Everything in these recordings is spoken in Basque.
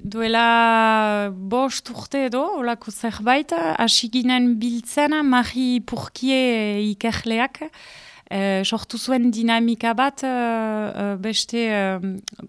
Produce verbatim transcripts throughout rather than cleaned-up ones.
duela bost urte edo, olako zerbait, hasi ginen biltzen Marie Pourquier ikerleak, uh, sortu zuen dinamika bat, uh, beste uh,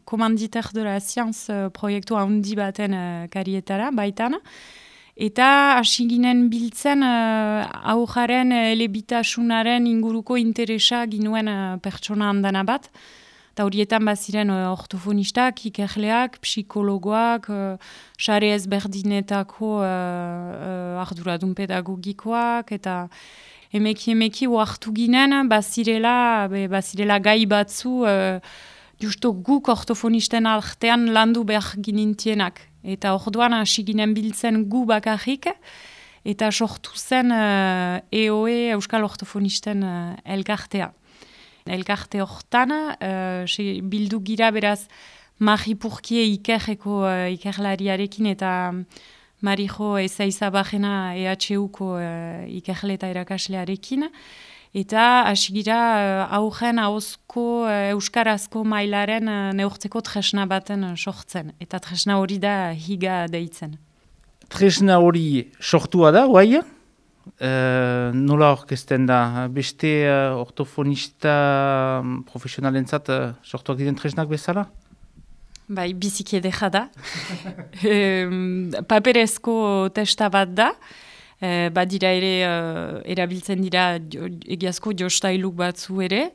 Commanditaire de la Science uh, proiektu handi baten uh, karietara, baitan. Eta hasi ginen biltzen uh, aujaren elebitasunaren inguruko interesa ginuen uh, pertsona handana bat. Eta horietan baziren uh, ortofonistak, ikerleak, psikologoak, uh, sare ezberdinetako uh, uh, arduradun pedagogikoak, eta emeki emeki oartu ginen bazirela, be, bazirela gai batzu uh, justo guk ortofonisten artean landu behar ginintienak. Eta orduan hasi ginen biltzen gu bakarrik, eta sortu zen uh, E O E Euskal Ortofonisten uh, elkartea. Elkarte hortan, uh, bildu gira beraz Marie Pourquier ikerreko uh, ikerlariarekin eta Marijo Ezaizabajena E H Uko uh, ikerle eta erakaslearekin. Eta hasi gira uh, augen ahozko uh, euskarazko mailaren uh, neurtzeko tresna baten uh, sortzen. Eta tresna hori da higa deitzen. Tresna hori sortua da, guai? Uh, nola orkesten da? Beste uh, ortofonista profesionalentzat uh, sortuak diren tresnak bezala? Bai, biziki edera da. um, paperezko testa bat da. Uh, badira ere uh, erabiltzen dira jo, egiazko jostailuk batzu ere.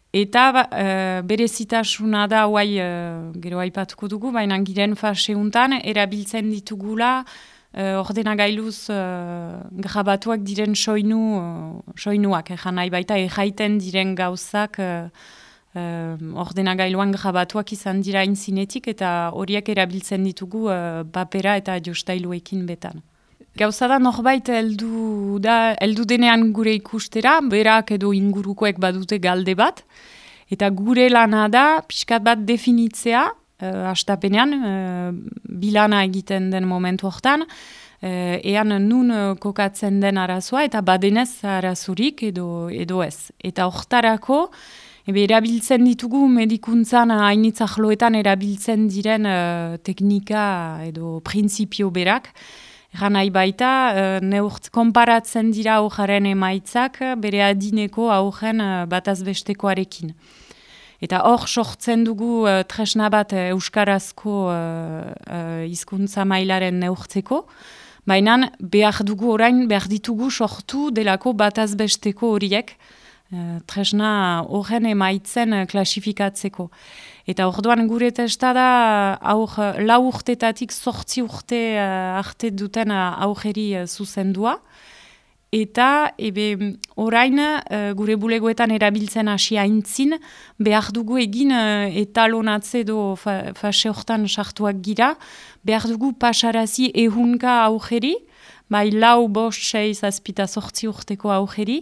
Eta uh, berezitasuna da, guai, uh, gero aipatuko dugu, baina giren faseuntan erabiltzen ditugula Uh, ordenagailuz uh, grabatuak diren soinu, uh, soinuak, egan nahi baita erraiten diren gauzak uh, uh, ordenagailuan grabatuak izan dira inzinetik, eta horiek erabiltzen ditugu uh, papera eta jostailuekin betan. Gauza da norbait heldu da, heldu denean gure ikustera, berak edo ingurukoek badute galde bat, eta gure lana da pixkat bat definitzea, Uh, astapenean, uh, bilana egiten den momentu hortan, uh, ean nun uh, kokatzen den arazoa, eta badenez arazurik edo, edo ez. Eta hortarako, ebe, erabiltzen ditugu medikuntzan hainitzahloetan erabiltzen diren uh, teknika edo printzipio berak. Egan nahi baita, uh, neurt, konparatzen dira aujaren emaitzak bere adineko aujen uh, batazbestekoarekin. Eta hor sortzen dugu uh, tresna bat uh, euskarazko uh, uh, hizkuntza mailaren neurtzeko, baina behar dugu orain, behar ditugu sortu delako batazbesteko horiek, uh, tresna horren emaitzen uh, klasifikatzeko. Eta orduan gure testa da aur, lau urtetatik sortzi urte uh, arte duten uh, aurreri uh, zuzendua. Eta ebe, orain uh, gure bulegoetan erabiltzen hasi aintzin, behar dugu egin uh, etalonatze edo fa, fase hortan sartuak gira, behar dugu pasarazi ehunka aurreri, bai lau bost sei zazpita sortzi urteko aurreri,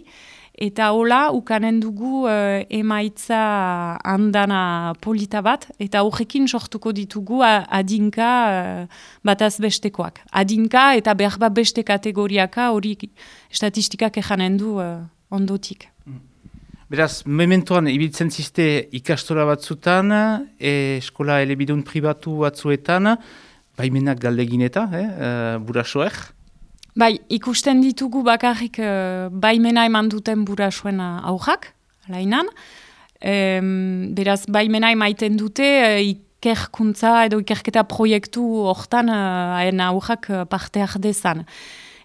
eta hola ukanen dugu uh, emaitza handana polita bat, eta horrekin sortuko ditugu adinka uh, batazbestekoak. Adinka eta behar bat beste kategoriaka hori estatistikak ejanen du uh, ondotik. Beraz, mementoan ibiltzen ziste ikastola batzutan, e, eskola elebidun pribatu batzuetan, baimenak galdegin eta, eh, uh, burasoek? Bai, ikusten ditugu bakarrik uh, baimena eman duten burasuen aurrak, lainan. Um, beraz, baimena emaiten dute uh, ikerkuntza edo ikerketa proiektu hortan haien uh, aurrak uh, parte ardezan.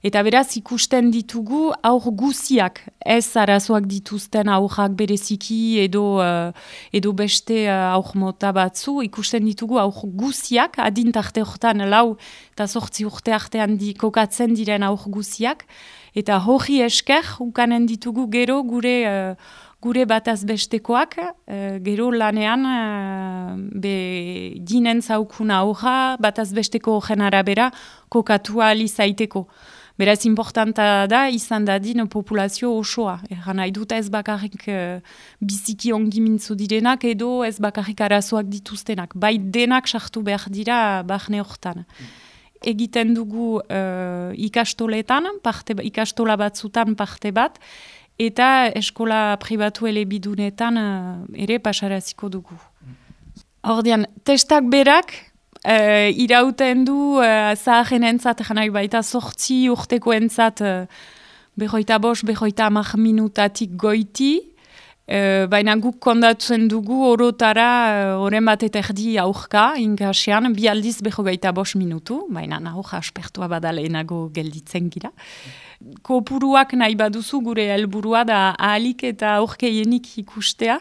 Eta beraz, ikusten ditugu aur guziak, ez arazoak dituzten aurrak bereziki edo, uh, edo beste uh, aur mota batzu, ikusten ditugu aur guziak, adintarte hortan lau eta sortzi urte artean di, kokatzen diren aur guziak, eta hori esker, ukanen ditugu gero gure, uh, gure batazbestekoak, uh, gero lanean uh, be ginen zaukuna aurra, batazbesteko horren arabera kokatua alizaiteko. Beraz, importanta da, izan dadin populazio osoa. Eran nahi dut ez bakarrik uh, biziki ongi mintzu direnak edo ez bakarrik arazoak dituztenak. Bai denak sartu behar dira barne hortan. Egiten dugu uh, ikastoletan, parte, ikastola batzutan parte bat, eta eskola pribatu elebidunetan uh, ere pasaraziko dugu. Ordean, testak berak, uh, irauten du uh, zaharen entzat, janai baita sortzi urteko entzat, uh, behoita bost, behoita amak minutatik goiti, uh, baina guk kondatzen dugu orotara oren uh, bat eta erdi aurka, inkasean, bi aldiz behogeita bost minutu, baina aurka aspertua badaleenago gelditzen gira. Kopuruak nahi baduzu gure helburua da ahalik eta aurkeienik ikustea,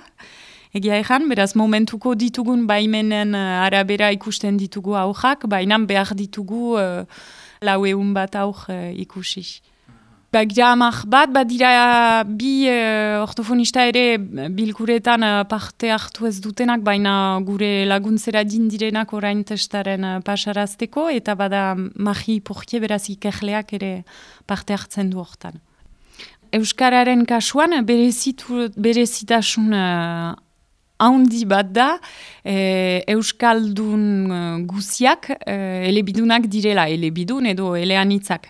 egia egan, beraz momentuko ditugun baimenen uh, arabera ikusten ditugu aurrak, baina behar ditugu uh, lau eun bat aur uh, ikusi. Bagira amak bat, badira bi uh, ortofonista ere bilkuretan uh, parte hartu ez dutenak, baina gure laguntzera dindirenak orain testaren uh, pasarazteko, eta bada Mari Portier beraz ikerleak ere parte hartzen du hortan. Euskararen kasuan berezitu, berezitasun uh, haundi bat da, e, Euskaldun uh, guziak uh, elebidunak direla, elebidun edo eleanitzak.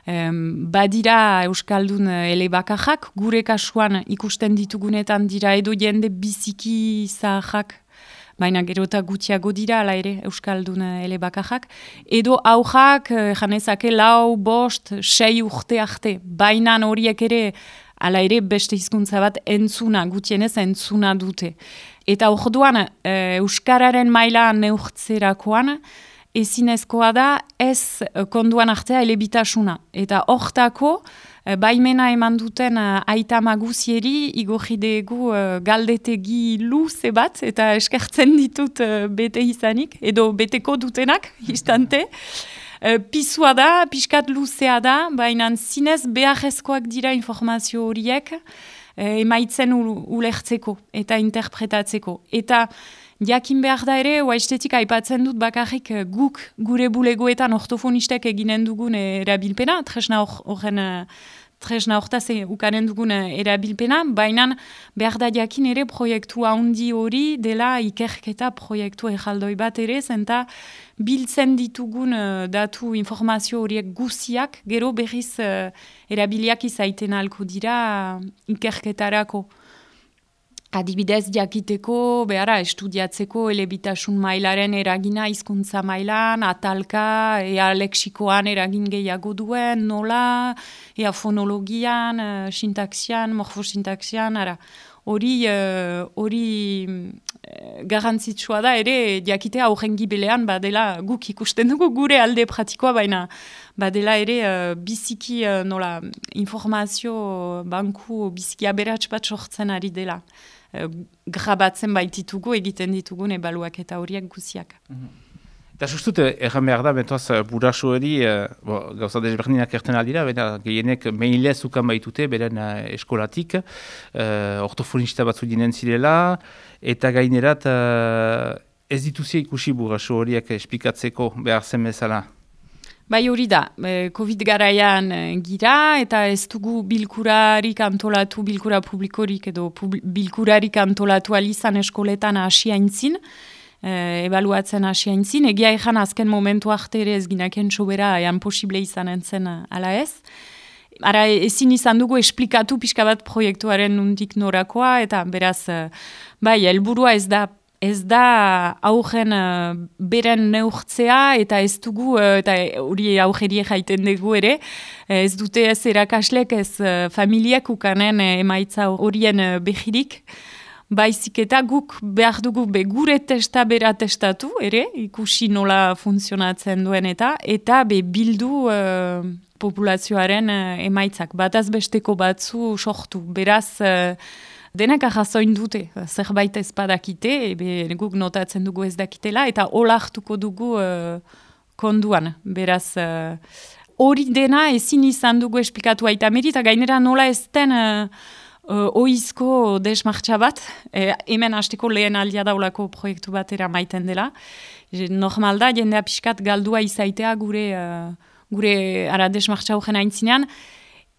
Um, badira Euskaldun uh, elebakajak, gure kasuan ikusten ditugunetan dira edo jende biziki zahajak, baina gero eta gutiago dira, ala ere, Euskaldun uh, elebakajak, edo aujak, uh, janezake lau, bost, sei urte arte, baina horiek ere, ala ere beste hizkuntza bat entzuna, gutienez entzuna dute. Eta orduan, e, Euskararen maila neurtzerakoan, ezinezkoa da ez konduan artea elebitasuna. Eta hortako, e, baimena eman duten e, aita maguzieri, igorri dugu e, galdetegi luze bat, eta eskertzen ditut e, bete izanik, edo beteko dutenak, istante. E, Pizua da, pixkat luzea da, baina zinez beharrezkoak dira informazio horiek, emaitzen ulertzeko eta interpretatzeko. Eta jakin behar da ere, oaiztetik aipatzen dut bakarrik guk gure bulegoetan ortofonistek eginen dugun erabilpena, tresna horren tresna hortaz ukanen dugun erabilpena, baina behar da jakin ere proiektu handi hori dela ikerketa proiektu erraldoi bat ere, zenta biltzen ditugun uh, datu informazio horiek guziak, gero berriz uh, erabiliak izaiten alko dira uh, ikerketarako. Adibidez jakiteko, behara, estudiatzeko elebitasun mailaren eragina hizkuntza mailan, atalka, ea leksikoan eragin gehiago duen, nola, ea fonologian, uh, sintaxian, morfosintaxian, ara. Hori hori uh, garrantzitsua da ere jakitea horren gibelean badela guk ikusten dugu gure alde pratikoa, baina badela ere uh, biziki uh, nola informazio banku biziki aberats bat sortzen ari dela. Uh, grabatzen baititugu egiten ditugun ebaluak eta horiek guziak. Mm-hmm. Eta sustut, erran behar da, bentoaz, buraso hori, uh, gauza desberdinak erten aldira, bena gehienek mailez ukan baitute, beren uh, eskolatik, uh, ortofonista batzu dinen zirela, eta gainerat uh, ez dituzia ikusi buraso horiek esplikatzeko behar zen bezala. Bai hori da, COVID garaian gira, eta ez dugu bilkurarik antolatu, bilkura publikorik edo pub, bilkurarik antolatu alizan eskoletan hasi aintzin, e, ebaluatzen hasi aintzin, egia ezan azken momentu arte ere ez ginaken sobera ean posible izan entzen ala ez. Ara ezin izan dugu esplikatu pixka bat proiektuaren nundik norakoa, eta beraz, bai, helburua ez da Ez da aurren uh, beren neurtzea eta ez dugu, uh, eta hori aurrerie jaiten dugu ere, ez dute ez erakaslek, ez uh, familiak ukanen uh, emaitza horien uh, behirik, baizik eta guk behar dugu be gure testa bera testatu ere, ikusi nola funtzionatzen duen eta, eta be bildu uh, populazioaren uh, emaitzak, bataz besteko batzu sortu, beraz... Uh, Denak ahazoin dute, zerbait ez badakite, ebe guk notatzen dugu ez dakitela, eta olartuko dugu uh, konduan. Beraz, hori uh, dena ezin izan dugu esplikatu aita meri, eta gainera nola ez den uh, uh, oizko desmartxa bat, e, hemen hasteko lehen aldia daulako proiektu batera maiten dela. Normal da, jendea pixkat galdua izaitea gure, uh, gure ara desmartxa horren aintzinean,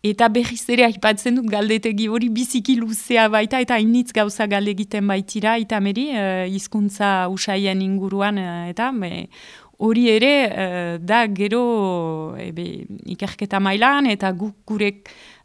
eta berriz ere aipatzen dut galdetegi hori biziki luzea baita, eta hainitz gauza galde egiten baitira, eta meri, uh, hizkuntza usaien inguruan, uh, eta be, hori ere uh, da gero ebe, ikerketa mailan, eta guk gure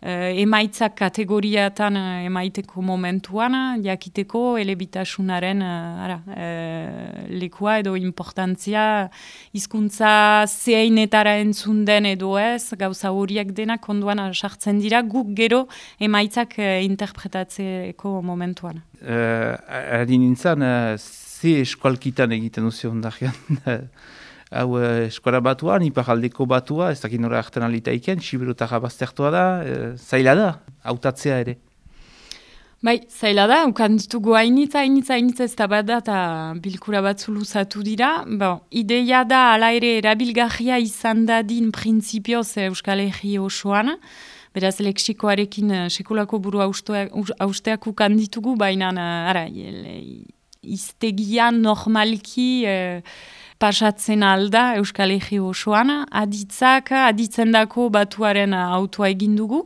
emaitzak kategoriatan uh, emaiteko momentuan, jakiteko elebitasunaren uh, ara, uh, lekua edo importantzia, hizkuntza zeinetara entzun den edo ez, gauza horiek denak onduan sartzen dira, guk gero emaitzak uh, interpretatzeko momentuan. Uh, Ari nintzen, uh, ze eskualkitan egiten duzu ondarian? Hau uh, eskola batuan, iparaldeko batua, ez dakit nora hartan alitaiken, Sibirutara baztertua da, uh, zaila da, hautatzea ere. Bai, zaila da, ukan ditugu hainitza, hainitza, hainitza ez da bat da, eta bilkura batzu luzatu dira. Bon, ideia da, ala ere, erabilgarria izan dadin printzipioz Euskal Herri osoan, beraz leksikoarekin sekulako buru hausteak ukan ditugu, baina ara, iztegian normalki eh, pasatzen alda Euskal Herri osoan, aditzak, aditzendako batuaren autoa egin dugu,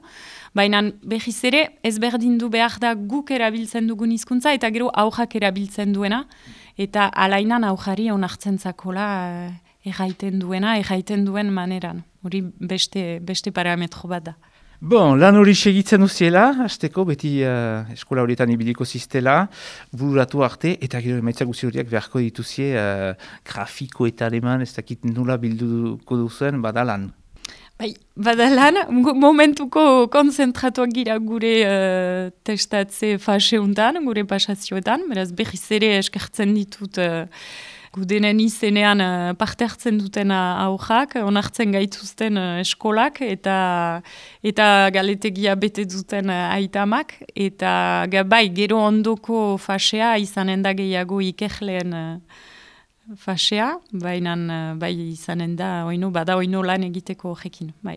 baina behiz ere ezberdin du behar da guk erabiltzen dugun hizkuntza eta gero aurrak erabiltzen duena, eta alainan aurrari onartzen zakola erraiten duena, erraiten duen maneran. Hori beste, beste parametro bat da. Bon, lan hori segitzen duziela, hasteko beti uh, eskola horietan ibiliko ziztela, bururatu arte, eta gero emaitzak guzi horiek beharko dituzie uh, grafiko eta aleman, ez dakit nula bilduko duzuen, badalan. Bai, badalan, momentuko konzentratuak gira gure uh, testatze faseuntan, gure pasazioetan, beraz behiz ere eskertzen ditut uh, gudenen izenean uh, parte hartzen duten aurrak, onartzen gaituzten uh, eskolak eta eta galetegia bete duten uh, aitamak, eta bai, gero ondoko fasea izanen da gehiago ikerleen uh, fasea, baina uh, bai izanen da, oino, bada oino lan egiteko horrekin, bai.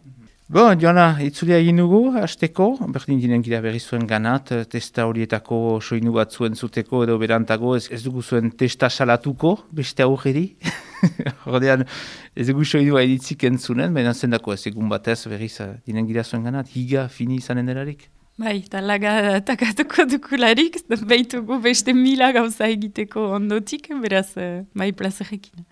Bon, Joana, itzulia egin dugu, hasteko, berdin dinen gira berri zuen ganat, testa horietako soinu bat zuen zuteko edo berantago, ez, ez dugu zuen testa salatuko, beste aurreri. Hordean, ez dugu soinua editzik entzunen, baina zendako ez egun batez berriz dinen gira zuen ganat, higa fini izanen delarik. Bai, talaga takatuko dukularik, behitugu beste mila gauza egiteko ondotik, beraz, bai, plazerekin.